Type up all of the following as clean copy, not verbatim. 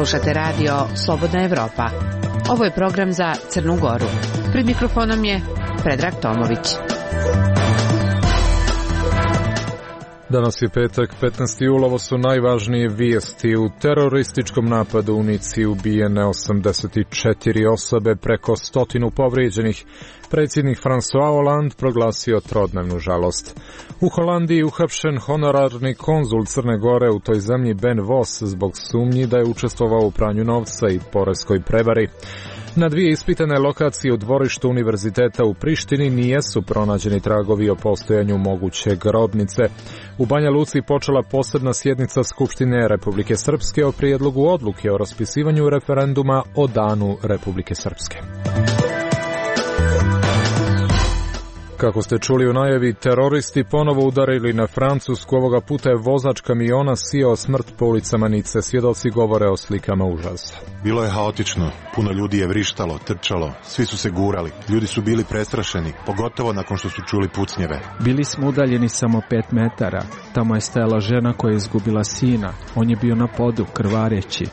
Slušate radio Slobodna Evropa. Ovo je program za Crnu Goru. Pred mikrofonom je Predrag Tomović. Danas je petak, 15. jula, ovo su najvažnije vijesti. U terorističkom napadu u Nici ubijene 84 osobe, preko 100 povrijeđenih. Predsjednik François Hollande proglasio trodnevnu žalost. U Holandiji uhapšen honorarni konzul Crne Gore u toj zemlji Ben Vos zbog sumnji da je učestvovao u pranju novca i poreskoj prevari. Na dvije ispitane lokacije u dvorištu univerziteta u Prištini nijesu pronađeni tragovi o postojanju moguće grobnice. U Banja Luci počela posebna sjednica Skupštine Republike Srpske o prijedlogu odluke o raspisivanju referenduma o Danu Republike Srpske. Kako ste čuli u najavi, teroristi ponovo udarili na Francusku. Ovoga puta je vozač kamiona sijao smrt po ulicama Nice. Svjedoci govore o slikama užasa. Bilo je haotično. Puno ljudi je vrištalo, trčalo. Svi su se gurali. Ljudi su bili prestrašeni, pogotovo nakon što su čuli pucnjeve. Bili smo udaljeni samo 5 metara. Tamo je stajala žena koja je izgubila sina. On je bio na podu, krvareći.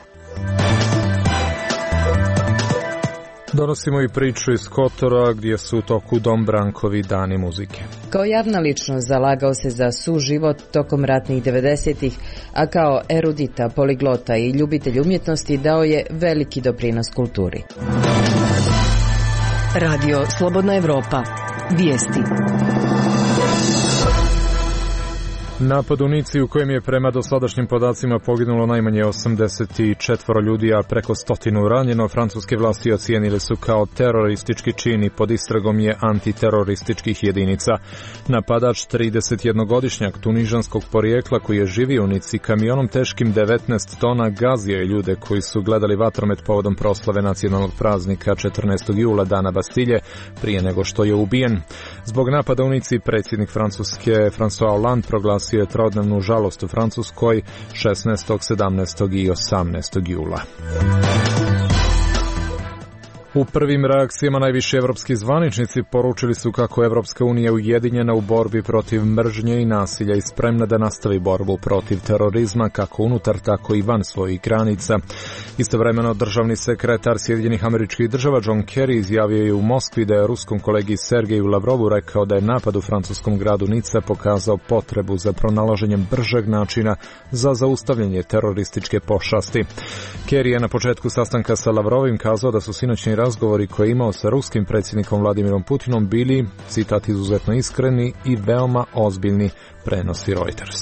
Donosimo i priču iz Kotora gdje su u toku Dombrankovi dani muzike. Kao javna ličnost zalagao se za suživot tokom ratnih 90-ih, a kao erudita, poliglota i ljubitelj umjetnosti dao je veliki doprinos kulturi. Radio Slobodna Evropa. Vijesti. Napad u Nici u kojem je prema dosadašnjim podacima poginulo najmanje 84 ljudi, a preko 100 ranjeno, francuske vlasti ocijenili su kao teroristički čin i pod istragom je antiterorističkih jedinica. Napadač, 31-godišnjak tunižanskog porijekla koji je živio u Nici kamionom teškim 19 tona, gazio je ljude koji su gledali vatromet povodom proslave nacionalnog praznika 14. jula, Dana Bastilje, prije nego što je ubijen. Zbog napada u Nici predsjednik Francuske François Hollande proglasio je trodnevnu žalost u Francuskoj 16., 17. i 18. jula. U prvim reakcijama najviši evropski zvaničnici poručili su kako Evropska unija ujedinjena u borbi protiv mržnje i nasilja i spremna da nastavi borbu protiv terorizma kako unutar, tako i van svojih granica. Istovremeno državni sekretar Sjedinjenih Američkih Država John Kerry izjavio je u Moskvi da je ruskom kolegi Sergeju Lavrovu rekao da je napad u francuskom gradu Nica pokazao potrebu za pronalaženjem bržeg načina za zaustavljanje terorističke pošasti. Kerry je na početku sastanka sa Lavrovim kazao da su sinoćni razgovori koje je imao sa ruskim predsjednikom Vladimirom Putinom bili, citat, izuzetno iskreni i veoma ozbiljni, prenosi Reuters.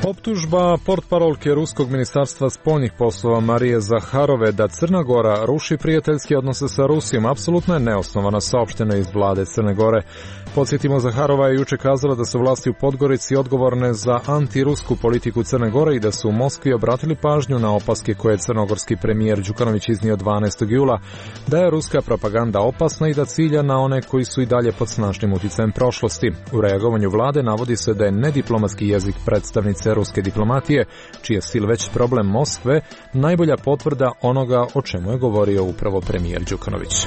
Optužba portparolke ruskog ministarstva spoljnih poslova Marije Zaharove da Crna Gora ruši prijateljske odnose sa Rusijom apsolutno je neosnovana, saopšteno iz vlade Crne Gore. Podsjetimo, Zaharova je juče kazala da su vlasti u Podgorici odgovorne za antirusku politiku Crne Gore i da su u Moskvi obratili pažnju na opaske koje je crnogorski premijer Đukanović iznio 12. jula, da je ruska propaganda opasna i da cilja na one koji su i dalje pod snažnim utjecajem prošlosti. U reagovanju vlade navodi se da je nediplomatski jezik predstavnice ruske diplomatije, čiji je stil već problem Moskve, najbolja potvrda onoga o čemu je govorio upravo premijer Đukanović.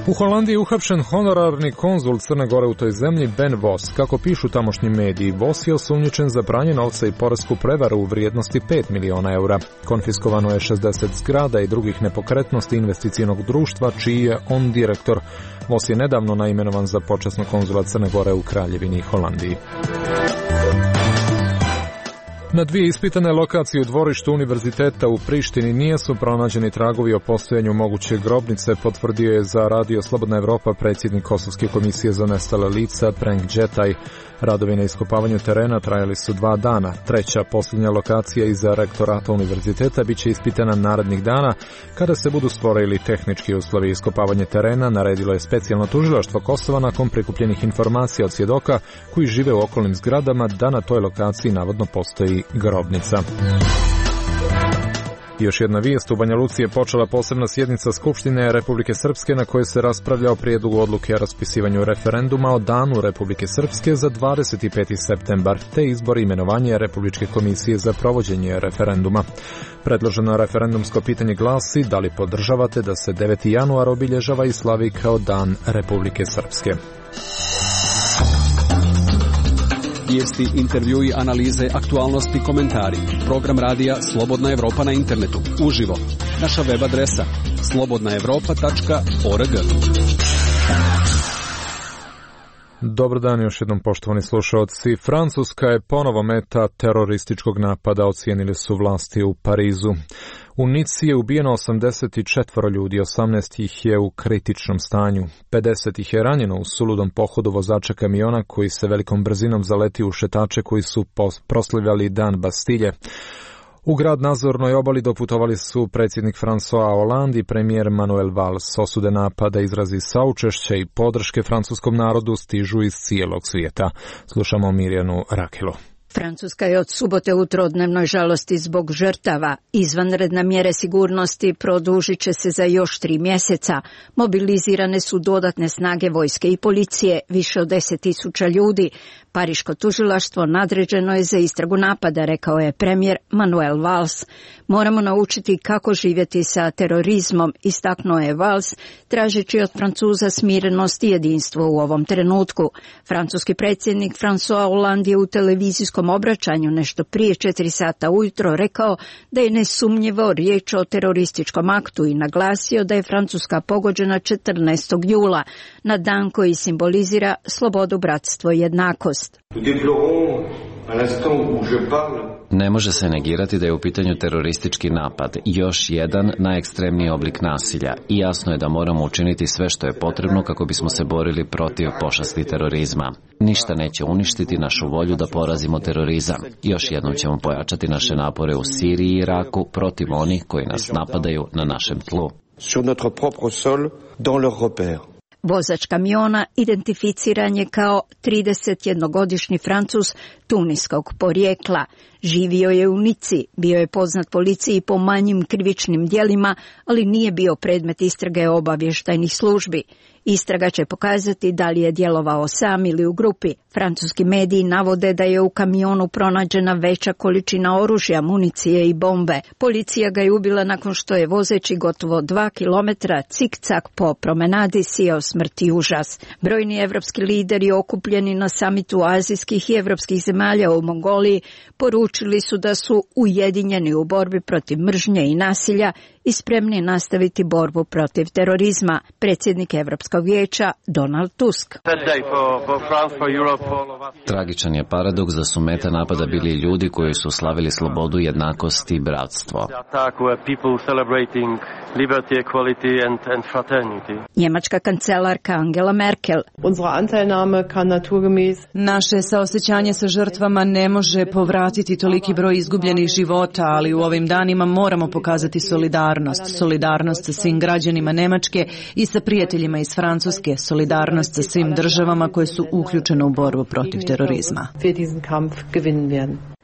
U Holandiji je uhapšen honorarni konzul Crne Gore u toj zemlji Ben Vos. Kako pišu tamošnji mediji, Vos je osumnjičen za pranje novca i poresku prevaru u vrijednosti 5 miliona eura. Konfiskovano je 60 zgrada i drugih nepokretnosti investicijnog društva, čiji je on direktor. Vos je nedavno naimenovan za počasnog konzula Crne Gore u Kraljevini Holandiji. Na dvije ispitane lokacije u dvorištu univerziteta u Prištini nijesu pronađeni tragovi o postojanju moguće grobnice, potvrdio je za radio Slobodna Evropa predsjednik Kosovske komisije za nestale lica Prenk Džetaj. Radovi na iskopavanju terena trajali su 2 dana. Treća, posljednja lokacija iza rektorata univerziteta bit će ispitana narednih dana. Kada se budu stvorili tehnički uslovi iskopavanja terena, naredilo je specijalno tužilaštvo Kosova nakon prikupljenih informacija od svjedoka koji žive u okolnim zgradama da na toj lokaciji navodno postoji grobnica. Još jedna vijest, u Banja Luci je počela posebna sjednica Skupštine Republike Srpske na kojoj se raspravlja o prijedlogu odluke o raspisivanju referenduma o Danu Republike Srpske za 25. septembar, te izbor i imenovanje Republičke komisije za provođenje referenduma. Predloženo referendumsko pitanje glasi da li podržavate da se 9. januar obilježava i slavi kao Dan Republike Srpske. Vijesti, intervjui, analize, aktualnosti, komentari. Program radija Slobodna Evropa na internetu. Uživo. Naša web adresa slobodnaevropa.org. Dobar dan još jednom, poštovani slušalci. Francuska je ponovo meta terorističkog napada, ocijenili su vlasti u Parizu. U Nici je ubijeno 84 ljudi, 18 ih je u kritičnom stanju. 50 ih je ranjeno u suludom pohodu vozača kamiona koji se velikom brzinom zaleti u šetače koji su proslavljali dan Bastilje. U grad na Azornoj obali doputovali su predsjednik François Hollande i premijer Manuel Valls. Osude napada, izrazi saučešća i podrške francuskom narodu stižu iz cijelog svijeta. Slušamo Mirjanu Rakelo. Francuska je od subote u trodnevnoj žalosti zbog žrtava. Izvanredne mjere sigurnosti produžit će se za još 3 mjeseca. Mobilizirane su dodatne snage vojske i policije, više od 10.000 ljudi. Pariško tužilaštvo nadređeno je za istragu napada, rekao je premijer Manuel Valls. Moramo naučiti kako živjeti sa terorizmom, istaknuo je Valls, tražeći od Francuza smirenost i jedinstvo u ovom trenutku. Francuski predsjednik François Hollande je u televizijskom obraćanju nešto prije 4 sata ujutro rekao da je nesumnjivo riječ o terorističkom aktu i naglasio da je Francuska pogođena 14. jula, na dan koji simbolizira slobodu, bratstvo i jednakost. Ne može se negirati da je u pitanju teroristički napad, još jedan najekstremniji oblik nasilja, i jasno je da moramo učiniti sve što je potrebno kako bismo se borili protiv pošasti terorizma. Ništa neće uništiti našu volju da porazimo terorizam. Još jednom ćemo pojačati naše napore u Siriji i Iraku protiv onih koji nas napadaju na našem tlu. Vozač kamiona identificiran je kao 31-godišnji Francuz tuniskog porijekla. Živio je u Nici, bio je poznat policiji po manjim krivičnim djelima, ali nije bio predmet istrage obavještajnih službi. Istraga će pokazati da li je djelovao sam ili u grupi. Francuski mediji navode da je u kamionu pronađena veća količina oružja, municije i bombe. Policija ga je ubila nakon što je vozeći gotovo 2 kilometra cikcak po promenadi sijao smrt i užas. Brojni evropski lideri okupljeni na samitu azijskih i evropskih zemalja u Mongoliji poručili su da su ujedinjeni u borbi protiv mržnje i nasilja i spremni nastaviti borbu protiv terorizma. Predsjednik Evropskog vijeća Donald Tusk. Tragičan je paradoks da su meta napada bili ljudi koji su slavili slobodu, jednakost i bratstvo. Njemačka kancelarka Angela Merkel. Naše saosećanje sa žrtvama ne može povratiti toliki broj izgubljenih života, ali u ovim danima moramo pokazati solidarnost sa svim građanima Njemačke i sa prijateljima iz Francuske, solidarnost sa svim državama koje su uključene u borbu protiv terorizma.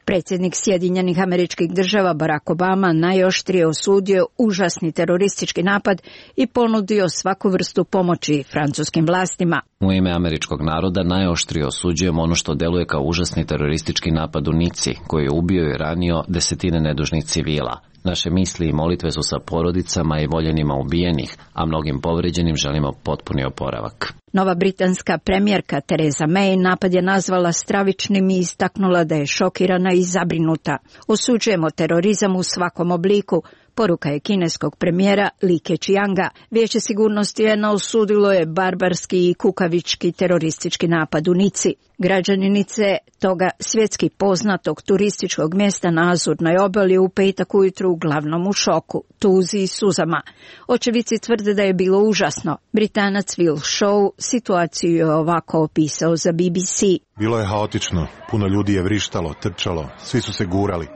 Predsjednik Sjedinjenih Američkih Država Barack Obama najoštrije osudio užasni teroristički napad i ponudio svaku vrstu pomoći francuskim vlastima. U ime američkog naroda najoštrije osuđujemo ono što deluje kao užasni teroristički napad u Nici, koji je ubio i ranio desetine nedužnih civila. Naše misli i molitve su sa porodicama i voljenima ubijenih, a mnogim povređenim želimo potpuni oporavak. Nova britanska premijerka Theresa May napad je nazvala stravičnim i istaknula da je šokirana i zabrinuta. Osuđujemo terorizam u svakom obliku, poruka je kineskog premijera Li Keqianga. Vijeće sigurnosti UN osudilo je barbarski i kukavički teroristički napad u Nici. Građani Nice, toga svjetski poznatog turističkog mjesta na Azurnoj obali, u petak ujutru uglavnom u šoku, tuzi i suzama. Očevici tvrde da je bilo užasno. Britanac Will Shaw situaciju je ovako opisao za BBC. Bilo je haotično, puno ljudi je vrištalo, trčalo, svi su se gurali.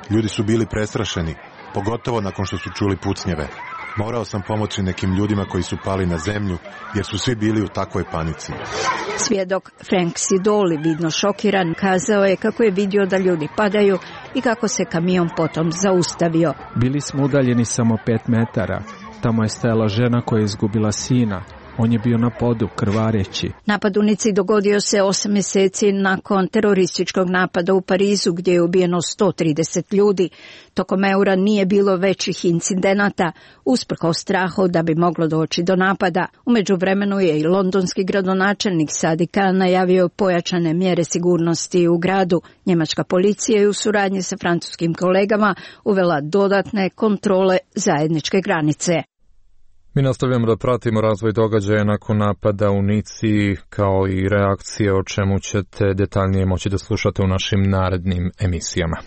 Ljudi su bili prestrašeni, pogotovo nakon što su čuli pucnjeve. Morao sam pomoći nekim ljudima koji su pali na zemlju, jer su svi bili u takvoj panici. Svjedok Frank Sidoli, vidno šokiran, kazao je kako je vidio da ljudi padaju i kako se kamion potom zaustavio. Bili smo udaljeni samo 5 metara. Tamo je stajala žena koja je izgubila sina. On je bio na podu, krvareći. Napad u Nici dogodio se 8 mjeseci nakon terorističkog napada u Parizu gdje je ubijeno 130 ljudi. Tokom eura nije bilo većih incidenata, usprkos strahu da bi moglo doći do napada. U međuvremenu je i londonski gradonačelnik Sadiq Khan najavio pojačane mjere sigurnosti u gradu. Njemačka policija je u suradnji sa francuskim kolegama uvela dodatne kontrole zajedničke granice. Mi nastavljamo da pratimo razvoj događaja nakon napada u Nici, kao i reakcije o čemu ćete detaljnije moći da slušate u našim narednim emisijama.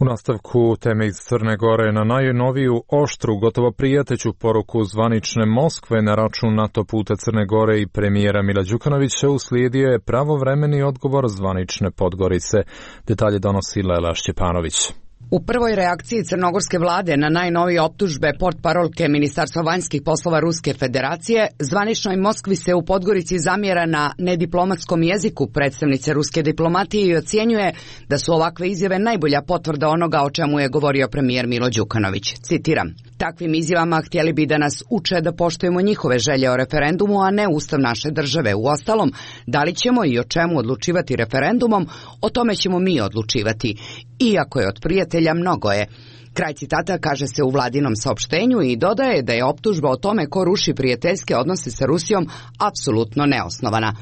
U nastavku teme iz Crne Gore na najnoviju oštru, gotovo prijateljsku poruku zvanične Moskve na račun NATO puta Crne Gore i premijera Mila Đukanovića uslijedio je pravovremeni odgovor zvanične Podgorice. Detalje donosi Lela Šćepanović. U prvoj reakciji crnogorske vlade na najnovije optužbe portparolke Ministarstva vanjskih poslova Ruske federacije, zvaničnoj Moskvi se u Podgorici zamjera na nediplomatskom jeziku predstavnice ruske diplomatije i ocjenjuje da su ovakve izjave najbolja potvrda onoga o čemu je govorio premijer Milo Đukanović. Citiram: takvim izjavama htjeli bi da nas uče da poštujemo njihove želje o referendumu, a ne ustav naše države. Uostalom, da li ćemo i o čemu odlučivati referendumom, o tome ćemo mi odlučivati. Iako je od prijatelja, mnogo je. Kraj citata kaže se u vladinom saopštenju i dodaje da je optužba o tome ko ruši prijateljske odnose sa Rusijom apsolutno neosnovana.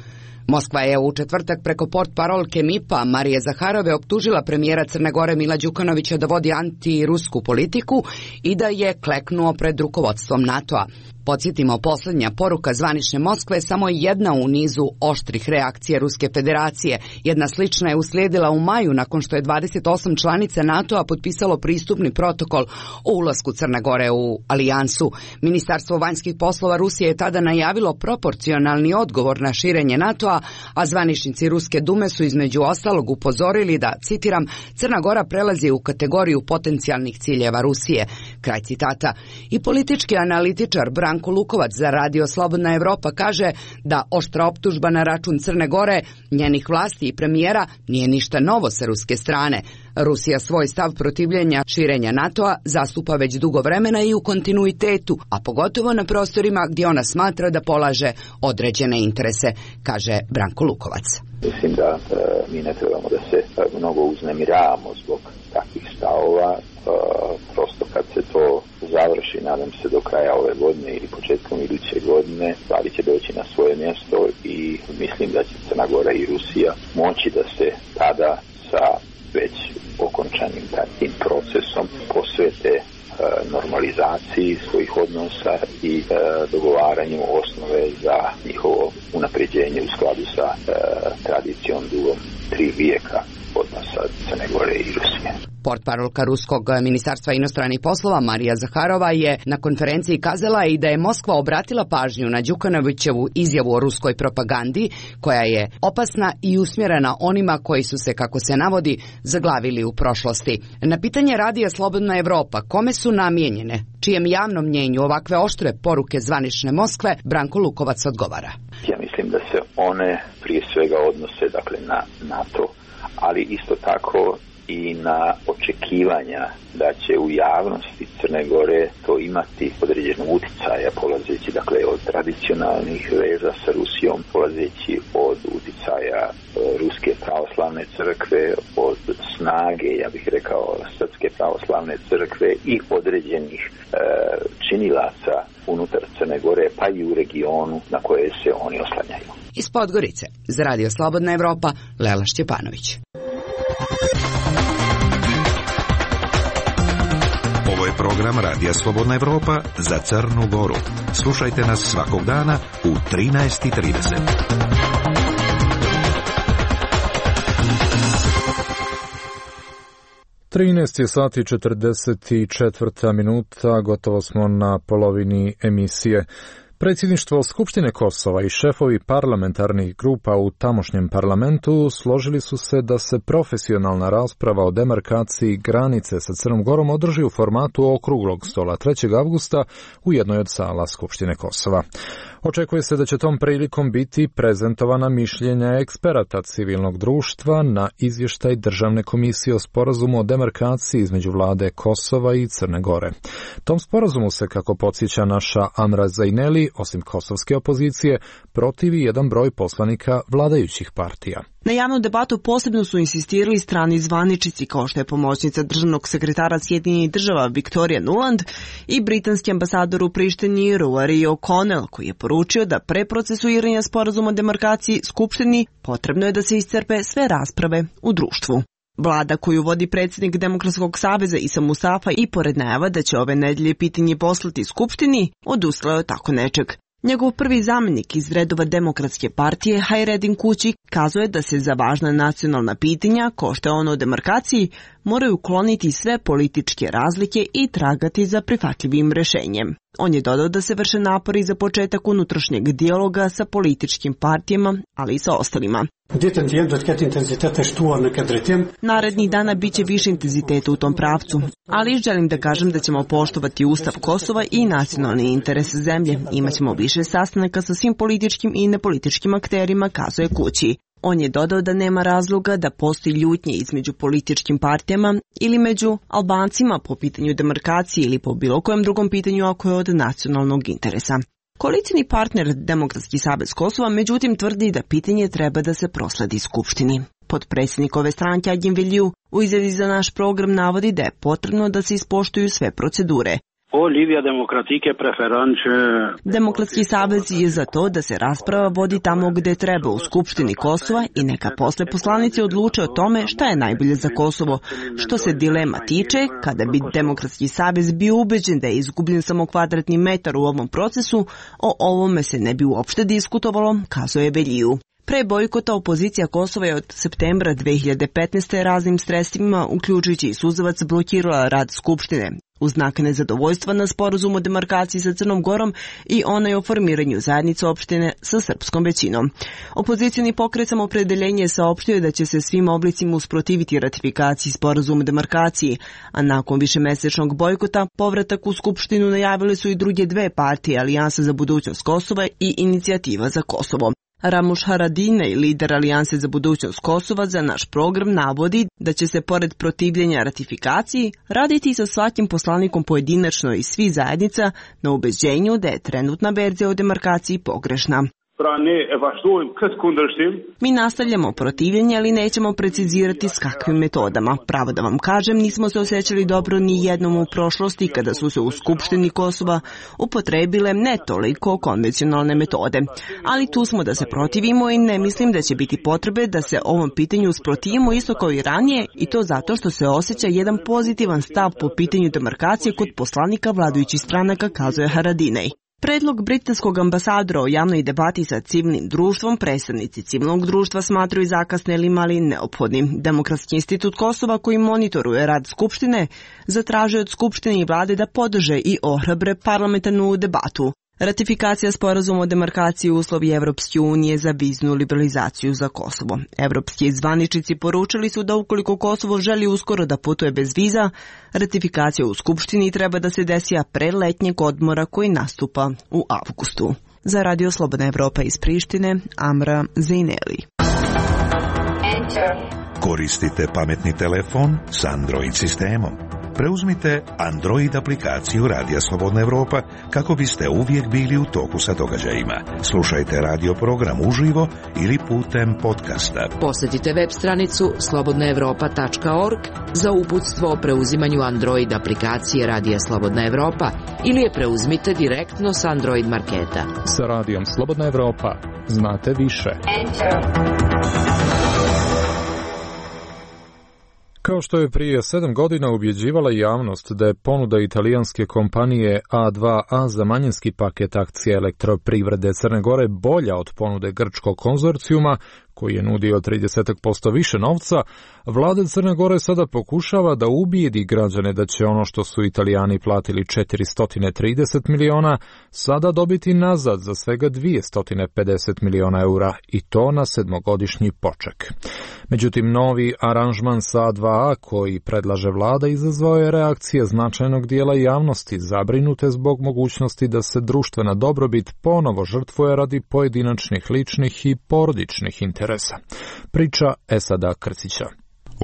Moskva je u četvrtak preko portparolke MIP-a Marije Zaharove optužila premijera Crne Gore Mila Đukanovića da vodi antirusku politiku i da je kleknuo pred rukovodstvom NATO-a. Podsjetimo, posljednja poruka zvanične Moskve je samo jedna u nizu oštrih reakcija Ruske federacije. Jedna slična je uslijedila u maju nakon što je 28 članica NATO-a potpisalo pristupni protokol o ulasku Crne Gore u alijansu. Ministarstvo vanjskih poslova Rusije je tada najavilo proporcionalni odgovor na širenje NATO-a, a zvaničnici Ruske dume su između ostalog upozorili da, citiram, Crna Gora prelazi u kategoriju potencijalnih ciljeva Rusije. Kraj citata. I politički analitičar Branko Lukovac za Radio Slobodna Evropa kaže da oštra optužba na račun Crne Gore, njenih vlasti i premijera nije ništa novo sa ruske strane. Rusija svoj stav protivljenja širenja NATO-a zastupa već dugo vremena i u kontinuitetu, a pogotovo na prostorima gdje ona smatra da polaže određene interese, kaže Branko Lukovac. Mislim da mi ne trebamo da se mnogo uznemiravamo zbog takvih stavova. Prosto kad se to završi, nadam se do kraja ove godine ili početkom iduće godine, stvari će doći na svoje mjesto i mislim da će Crna Gora i Rusija moći da se tada sa već okončanim tim procesom posvete normalizaciji svojih odnosa i dogovaranju osnove za njihovo unapređenje u skladu sa tradicijom dugom 3 vijeka odnosa Crne Gore i Rusije. Portparolka Ruskog ministarstva inostranih poslova Marija Zaharova je na konferenciji kazala i da je Moskva obratila pažnju na Đukanovićevu izjavu o ruskoj propagandi, koja je opasna i usmjerena onima koji su se, kako se navodi, zaglavili u prošlosti. Na pitanje Radija Slobodna Evropa kome su namijenjene, čijem javnom mnjenju ovakve oštre poruke zvanične Moskve, Branko Lukovac odgovara. Ja mislim da se one prije svega odnose na NATO, ali isto tako i na očekivanja da će u javnosti Crne Gore to imati određenog uticaja, polazeći od tradicionalnih veza sa Rusijom, polazeći od uticaja Ruske pravoslavne crkve, od snage, ja bih rekao, Srpske pravoslavne crkve i određenih činilaca unutar Crne Gore, pa i u regionu na koje se oni oslanjaju. Iz Podgorice, za Radio Slobodna Evropa, Lela Šćepanović. Ovo je program Radija Slobodna Evropa za Crnu Goru. Slušajte nas svakog dana u 13:30. Trinaest je sati 44 minuta, gotovo smo na polovini emisije. Predsjedništvo Skupštine Kosova i šefovi parlamentarnih grupa u tamošnjem parlamentu složili su se da se profesionalna rasprava o demarkaciji granice sa Crnom Gorom održi u formatu okruglog stola 3. avgusta u jednoj od sala Skupštine Kosova. Očekuje se da će tom prilikom biti prezentovana mišljenja eksperata civilnog društva na izvještaj Državne komisije o sporazumu o demarkaciji između vlade Kosova i Crne Gore. Tom sporazumu se, kako podsjeća naša Amra Zajneli, osim kosovske opozicije, protivi jedan broj poslanika vladajućih partija. Na javnu debatu posebno su insistirali strani zvaničici kao što je pomoćnica državnog sekretara Sjedinjenih država Victoria Nuland i britanski ambasador u Prištini Rory O'Connell, koji je poručio da pre procesuiranja sporazuma o demarkaciji Skupštini potrebno je da se iscrpe sve rasprave u društvu. Vlada koju vodi predsjednik Demokratskog saveza Isa Mustafa i pored najava da će ove nedelje pitanje poslati Skupštini, odustala je od tako nečeg. Njegov prvi zamjenik iz redova Demokratske partije, Hayreddin Kući, kazuje da se za važna nacionalna pitanja, kao što je ono o demarkaciji, moraju ukloniti sve političke razlike i tragati za prihvatljivim rješenjem. On je dodao da se vrše napori za početak unutrašnjeg dijaloga sa političkim partijama, ali i sa ostalima. Narednih dana bit će više intenziteta u tom pravcu, ali želim da kažem da ćemo poštovati Ustav Kosova i nacionalni interes zemlje. Imaćemo više sastanaka sa svim političkim i nepolitičkim akterima, kazuje Kući. On je dodao da nema razloga da postoji ljutnje između političkim partijama ili među Albancima po pitanju demarkacije ili po bilo kojem drugom pitanju ako je od nacionalnog interesa. Koalicijni partner Demokratski savez Kosova međutim tvrdi da pitanje treba da se prosledi Skupštini. Potpredsjednik ove stranke Agim Veliju u izjavi za naš program navodi da je potrebno da se ispoštuju sve procedure. Demokratski savez je za to da se rasprava vodi tamo gde treba u Skupštini Kosova i neka posle poslanici odluče o tome šta je najbolje za Kosovo. Što se dilema tiče, kada bi Demokratski savez bio ubeđen da je izgubljen samo kvadratni metar u ovom procesu, o ovome se ne bi uopšte diskutovalo, kazuje Veliju. Pre bojkota opozicija Kosova je od septembra 2015. raznim sredstvima, uključujući i suzavac, blokirala rad Skupštine. U znak nezadovoljstva na sporazum o demarkaciji sa Crnom Gorom i onaj o formiranju zajednice opštine sa srpskom većinom. Opozicioni pokret Samoopredeljenje je saopštio da će se svim oblicima usprotiviti ratifikaciji sporazuma o demarkaciji, a nakon višemesečnog bojkota povratak u Skupštinu najavile su i druge dve partije, Alijansa za budućnost Kosova i Inicijativa za Kosovo. Ramush Haradinaj, lider Alijanse za budućnost Kosova, za naš program navodi da će se pored protivljenja ratifikaciji raditi sa svakim poslanikom pojedinačno i svi zajednica na ubeđenju da je trenutna verzija o demarkaciji pogrešna. Mi nastavljamo protivljenje, ali nećemo precizirati s kakvim metodama. Pravo da vam kažem, nismo se osjećali dobro ni jednom u prošlosti kada su se u Skupštini Kosova upotrebile ne toliko konvencionalne metode. Ali tu smo da se protivimo i ne mislim da će biti potrebe da se ovom pitanju usprotivimo isto kao i ranije, i to zato što se osjeća jedan pozitivan stav po pitanju demarkacije kod poslanika vladajućih stranaka, kazuje Haradinaj. Predlog britanskog ambasadora o javnoj debati sa civilnim društvom predstavnici civilnog društva smatraju zakasnelim, ali neophodnim. Demokratski institut Kosova, koji monitoruje rad Skupštine, zatražuje od Skupštine i vlade da podrže i ohrabre parlamentarnu debatu. Ratifikacija sporazuma o demarkaciji uslovi Evropske unije za viznu liberalizaciju za Kosovo. Evropski zvaničnici poručili su da ukoliko Kosovo želi uskoro da putuje bez viza, ratifikacija u Skupštini treba da se desi pre letnjeg odmora koji nastupa u avgustu. Za Radio Slobodna Evropa iz Prištine, Amra Zajneli. Koristite pametni telefon s Android sistemom. Preuzmite Android aplikaciju Radija Slobodna Evropa kako biste uvijek bili u toku sa događajima. Slušajte radio program uživo ili putem podcasta. Posjetite web stranicu slobodnaevropa.org za uputstvo o preuzimanju Android aplikacije Radija Slobodna Evropa ili je preuzmite direktno s Android marketa. Sa Radijom Slobodna Evropa znate više. Kao što je prije 7 godina ubjeđivala javnost da je ponuda italijanske kompanije A2A za manjinski paket akcija Elektroprivrede Crne Gore bolja od ponude grčkog konzorcijuma, koji je nudio 30% više novca, vlada Crne Gore sada pokušava da ubijedi građane da će ono što su Italijani platili 430 miliona sada dobiti nazad za svega 250 miliona eura i to na 7-godišnji poček. Međutim, novi aranžman sa A2A koji predlaže vlada izazvao je reakcije značajnog dijela javnosti zabrinute zbog mogućnosti da se društvena dobrobit ponovo žrtvuje radi pojedinačnih ličnih i porodičnih interesa. Priča Esada Krcića.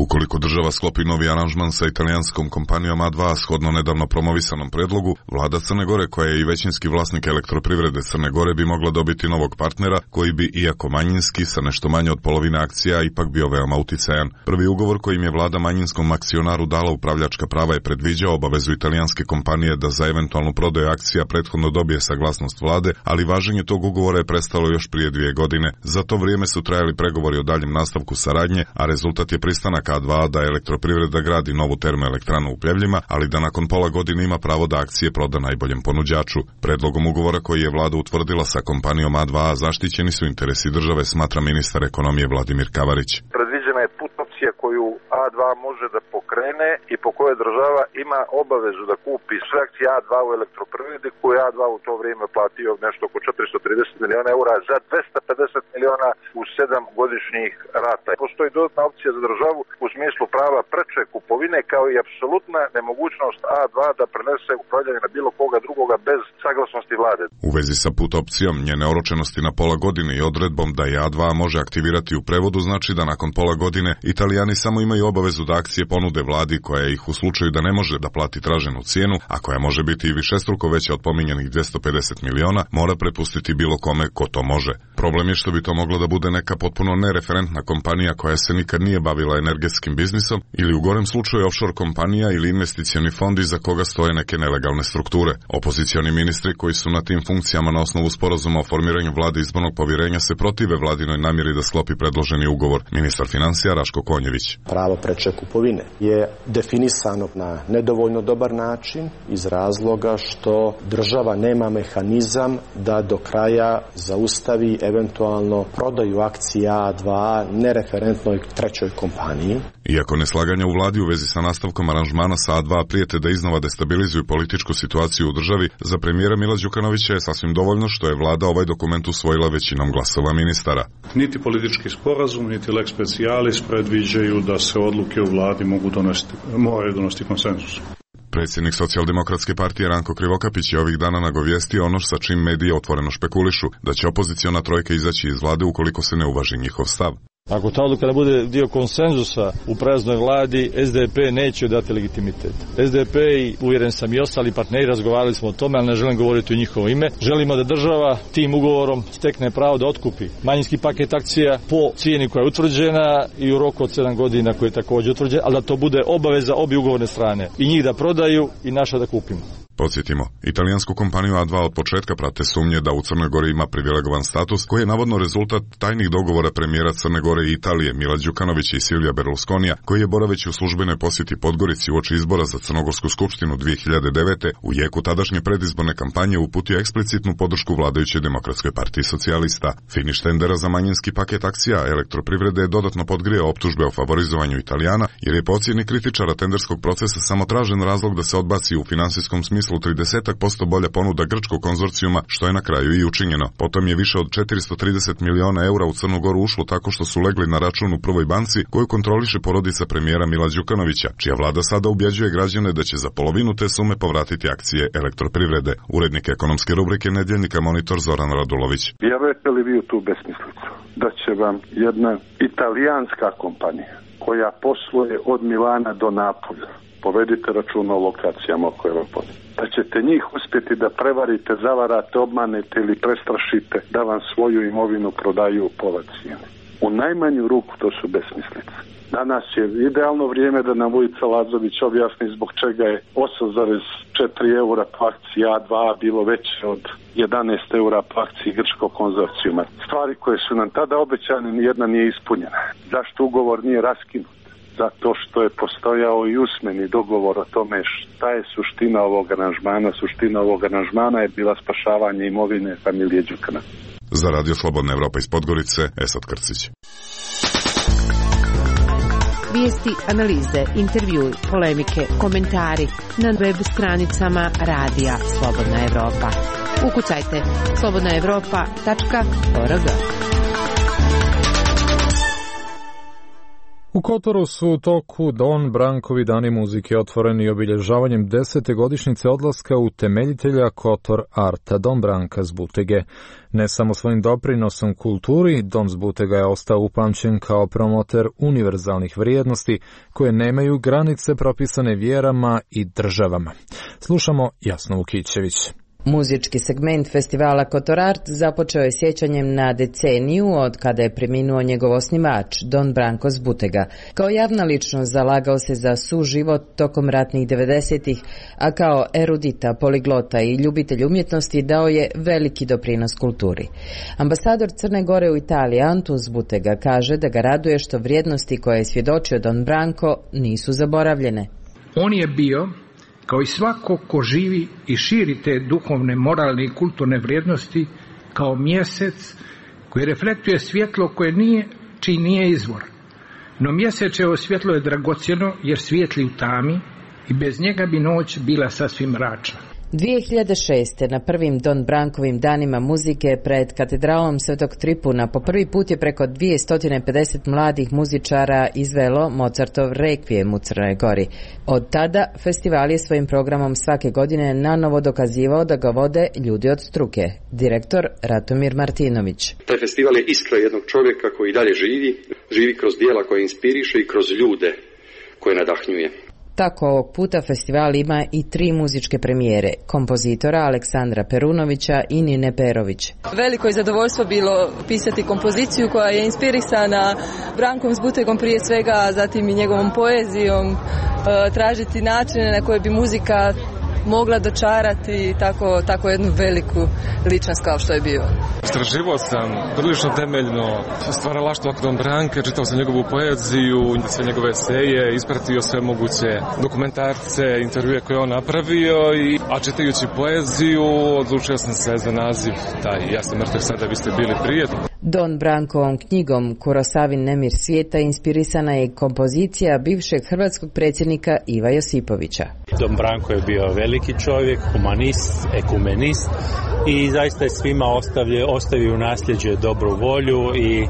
Ukoliko država sklopi novi aranžman sa italijanskom kompanijom A2 shodno nedavno promovisanom predlogu, vlada Crne Gore, koja je i većinski vlasnik elektroprivrede Crne Gore, bi mogla dobiti novog partnera koji bi, iako manjinski, sa nešto manje od polovine akcija, ipak bio veoma uticajan. Prvi ugovor kojim je vlada manjinskom akcionaru dala upravljačka prava je predviđao obavezu italijanske kompanije da za eventualnu prodaju akcija prethodno dobije saglasnost vlade, ali važenje tog ugovora je prestalo još prije 2 godine. Za to vrijeme su trajali pregovori o daljem nastavku saradnje, a rezultat je pristanak A2 da elektroprivreda gradi novu termoelektranu u Pljevljima, ali da nakon pola godine ima pravo da akcije proda najboljem ponuđaču. Predlogom ugovora koji je vlada utvrdila sa kompanijom A2 zaštićeni su interesi države, smatra ministar ekonomije Vladimir Kavarić. Predviđena je put opcija koju A2 može da pokrene i po kojoj država ima obavezu da kupi sve akcije A2 u elektroprivredi, koju A2 u to vrijeme platio nešto oko 430 miliona eura za 250 miliona u 7 godišnjih rata. Postoji dodatna opcija za državu u smislu prava preče kupovine, kao i apsolutna nemogućnost A2 da prenese upravljanje na bilo koga drugoga bez saglasnosti vlade. U vezi sa put opcijom, njene oročenosti na pola godine i odredbom da je A2 može aktivirati u prevodu, znači da nakon pola godine Italijani samo imaju obavezu da akcije ponude vladi koja ih u slučaju da ne može da plati traženu cijenu, a koja može biti i višestruko veća od pominjanih 250 miliona, mora prepustiti bilo kome ko to može. Problem je što bi to moglo da bude neka potpuno nereferentna kompanija koja se nikad nije bavila energetskim biznisom ili u gorem slučaju offshore kompanija ili investicioni fond iza koga stoje neke nelegalne strukture. Opozicioni ministri koji su na tim funkcijama na osnovu sporazuma o formiranju vlade izbornog povjerenja se protive vladinoj namjeri da sklopi predloženi ugovor. Ministar financija Raško Konjević. Pravo preče kupovine je definisano na nedovoljno dobar način iz razloga što država nema mehanizam da do kraja zaustavi eventualno prodaju akcija A2 nereferentnoj trećoj kompaniji. Iako neslaganja u vladi u vezi sa nastavkom aranžmana sa A2 prijete da iznova destabilizuju političku situaciju u državi, za premijera Mila Đukanovića je sasvim dovoljno što je vlada ovaj dokument usvojila većinom glasova ministara. Niti politički sporazum, niti lex specialis predviđaju da se odluke u vladi moraju donositi konsenzus. Predsjednik Socijaldemokratske partije Ranko Krivokapić je ovih dana nagovijestio ono sa čim medije otvoreno špekulišu, da će opoziciona trojka izaći iz vlade ukoliko se ne uvaži njihov stav. Ako ta odluka ne bude dio konsenzusa u praznoj vladi, SDP neće dati legitimitet. SDP i uvjeren sam i ostali partneri razgovarali smo o tome, ali ne želim govoriti u njihovo ime. Želimo da država tim ugovorom stekne pravo da otkupi manjinski paket akcija po cijeni koja je utvrđena i u roku od 7 godina koji je također utvrđen, ali da to bude obaveza obje ugovorne strane. I njih da prodaju i naša da kupimo. Podsjetimo, italijansku kompaniju A2 od početka prate sumnje da u Crnoj Gori ima privilegovan status koji je navodno rezultat tajnih dogovora premijera Crne Gore i Italije Mila Đukanovića i Silvija Berlusconija, koji je boraveći u službenoj posjeti Podgorici uoči izbora za Crnogorsku skupštinu 2009. u jeku tadašnje predizborne kampanje uputio eksplicitnu podršku vladajućoj Demokratskoj partiji socijalista. Finiš tendera za manjinski paket akcija elektroprivrede je dodatno podgrijao optužbe o favorizovanju Italijana, jer je po ocjeni kritičara tenderskog procesa samo tražen razlog da se odbaci u finansijskom smislu 30% bolja ponuda grčkog konzorcijuma, što je na kraju i učinjeno. Potom je više od 430 miliona eura u Crnu Goru ušlo tako što su legli na račun u Prvoj banci koju kontroliše porodica premijera Mila Đukanovića, čija vlada sada ubjeđuje građane da će za polovinu te sume povratiti akcije elektroprivrede. Urednik ekonomske rubrike Nedjeljnika Monitor Zoran Radulović. Vjerujete li vi u tu besmislicu? Da će vam jedna italijanska kompanija koja posluje od Milana do Napolja, povedite računa o lokacijama koje vam postoje, da ćete njih uspjeti da prevarite, zavarate, obmanete ili prestrašite da vam svoju imovinu prodaju u pola cijene. U najmanju ruku to su besmislice. Danas je idealno vrijeme da nam Vujica Lazović objasni zbog čega je 8,4 eura po akciji A2 bilo veće od 11 eura po akciji grčkog konzorcijuma. Stvari koje su nam tada obećane, nijedna nije ispunjena. Zašto ugovor nije raskinut? zato što je postojao i usmeni dogovor o tome šta je suština ovog aranžmana. Suština ovog aranžmana je bila spašavanje imovine familije Đukana. Za Radio Slobodna Evropa iz Podgorice, Esad Krcić. Vijesti, analize, intervjui, polemike, komentari na web stranicama Radija Slobodna Evropa. Ukucajte slobodnaevropa.org. U Kotoru su u toku Don Brankovi dani muzike otvoreni obilježavanjem 10. godišnjice odlaska utemeljitelja Kotor Arta Don Branka Zbutege. Ne samo svojim doprinosom kulturi, Don Zbutega je ostao upamćen kao promoter univerzalnih vrijednosti koje nemaju granice propisane vjerama i državama. Slušamo Jasnu Vukićević. Muzički segment festivala Kotor Art započeo je sjećanjem na deceniju od kada je preminuo njegov osnivač, Don Branko Zbutega. Kao javna ličnost zalagao se za suživot tokom ratnih 90-ih, a kao erudita, poliglota i ljubitelj umjetnosti dao je veliki doprinos kulturi. Ambasador Crne Gore u Italiji, Antun Zbutega, kaže da ga raduje što vrijednosti koje je svjedočio Don Branko nisu zaboravljene. On je bio, kao i svako ko živi i širi te duhovne, moralne i kulturne vrijednosti, kao mjesec koji reflektuje svjetlo koje čiji nije izvor. No mjesečevo svjetlo je dragocjeno jer svijetli u tami i bez njega bi noć bila sasvim mračna. 2006. na prvim Don Brankovim danima muzike pred katedralom Svetog Tripuna po prvi put je preko 250 mladih muzičara izvelo Mozartov Rekvijem u Crnoj Gori. Od tada festival je svojim programom svake godine nanovo dokazivao da ga vode ljudi od struke. Direktor Ratomir Martinović. Taj festival je iskra jednog čovjeka koji dalje živi kroz dijela koje inspiriše i kroz ljude koje nadahnjuje. Tako ovog puta festival ima i 3 muzičke premijere, kompozitora Aleksandra Perunovića i Nine Perović. Veliko je zadovoljstvo bilo pisati kompoziciju koja je inspirisana Brankom Zbutegom prije svega, zatim i njegovom poezijom, tražiti načine na koje bi muzika mogla dočarati tako jednu veliku ličnost kao što je bio. Istraživao sam prilično temeljno stvaralaštvo Don Branka, čitao sam njegovu poeziju, sve njegove eseje, ispratio sve moguće dokumentarce, intervjue koje on napravio, a čitajući poeziju odlučio sam se za naziv taj Ja sam mrtav sada, vi ste bili prije. Don Brankovom knjigom Kurosavin Nemir svijeta inspirisana je kompozicija bivšeg hrvatskog predsjednika Iva Josipovića. Don Branko je bio veliki čovjek, humanist, ekumenist i zaista je svima ostavio u nasljeđe dobru volju i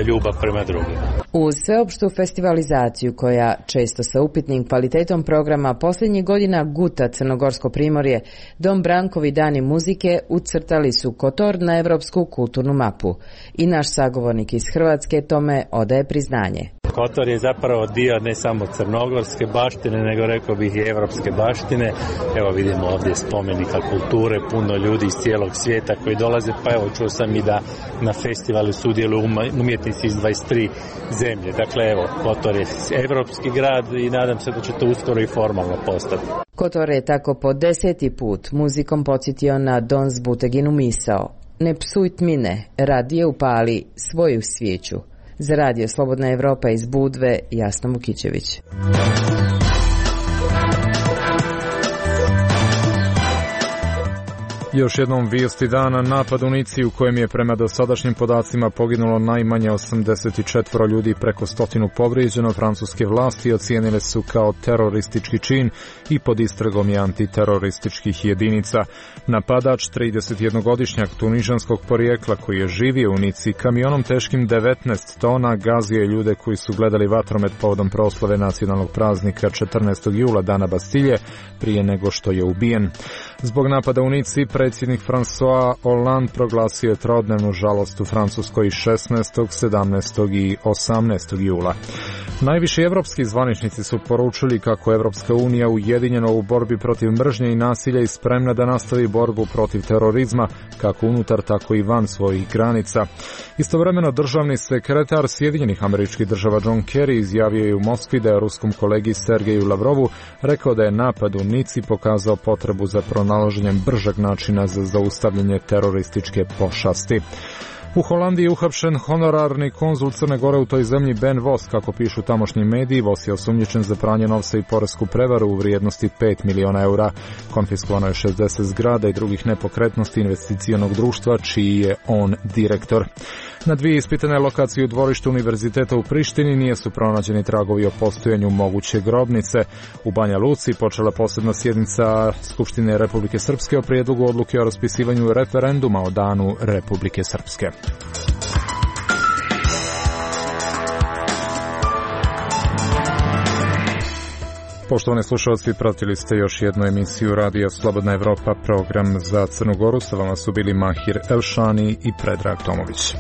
ljubav prema drugima. Uz sveopštu festivalizaciju koja često sa upitnim kvalitetom programa posljednjih godina guta Crnogorsko primorje, Don Brankovi dani muzike ucrtali su Kotor na evropsku kulturnu mapu. I naš sagovornik iz Hrvatske tome odaje priznanje. Kotor je zapravo dio ne samo crnogorske baštine, nego rekao bih i evropske baštine. Evo vidimo ovdje spomenika kulture, puno ljudi iz cijelog svijeta koji dolaze, pa evo čuo sam i da na festivalu sudjeluju umjetnici iz 23 zemlje. Dakle, evo, Kotor je evropski grad i nadam se da će to uskoro i formalno postati. Kotor je tako po 10. put muzikom podsjetio na Don Zbuteginu misao. Ne psuj tmine, radije upali svoju svijeću. Za Radio Slobodna Evropa iz Budve, Jasna Vukićević. Još jednom vijesti dana, napad u Nici u kojem je prema dosadašnjim podacima poginulo najmanje 84 ljudi, preko 100 povrijeđeno. Francuske vlasti ocijenile su kao teroristički čin i pod istragom je antiterorističkih jedinica. Napadač, 31-godišnjak tunižanskog porijekla koji je živio u Nici, kamionom teškim 19 tona gazio je ljude koji su gledali vatromet povodom proslave nacionalnog praznika 14. jula, dana Bastilje, prije nego što je ubijen. Zbog napada u Nici, predsjednik François Hollande proglasio je trodnevnu žalost u Francuskoj 16., 17. i 18. jula. Najviši evropski zvaničnici su poručili kako Evropska unija ujedinjena u borbi protiv mržnje i nasilja i spremna da nastavi borbu protiv terorizma, kako unutar, tako i van svojih granica. Istovremeno, državni sekretar Sjedinjenih Američkih Država John Kerry izjavio je u Moskvi da je ruskom kolegi Sergeju Lavrovu rekao da je napad u Nici pokazao potrebu za pronalaženjem bržeg načina za zaustavljanje terorističke pošasti. U Holandiji je uhapšen honorarni konzul Crne Gore u toj zemlji Ben Vos, kako pišu tamošnji mediji. Vos je osumnjičen za pranje novca i poresku prevaru u vrijednosti 5 miliona eura. Konfiskovano je 60 zgrada i drugih nepokretnosti investicionog društva, čiji je on direktor. Na dvije ispitane lokacije u dvorištu Univerziteta u Prištini nisu pronađeni tragovi o postojanju moguće grobnice. U Banja Luci počela posebna sjednica Skupštine Republike Srpske o prijedlogu odluke o raspisivanju referenduma o Danu Republike Srpske. Poštovani slušalci, pratili ste još jednu emisiju Radija Slobodna Evropa, program za Crnu Goru. Sa vama su bili Mahir Elšani i Predrag Tomović.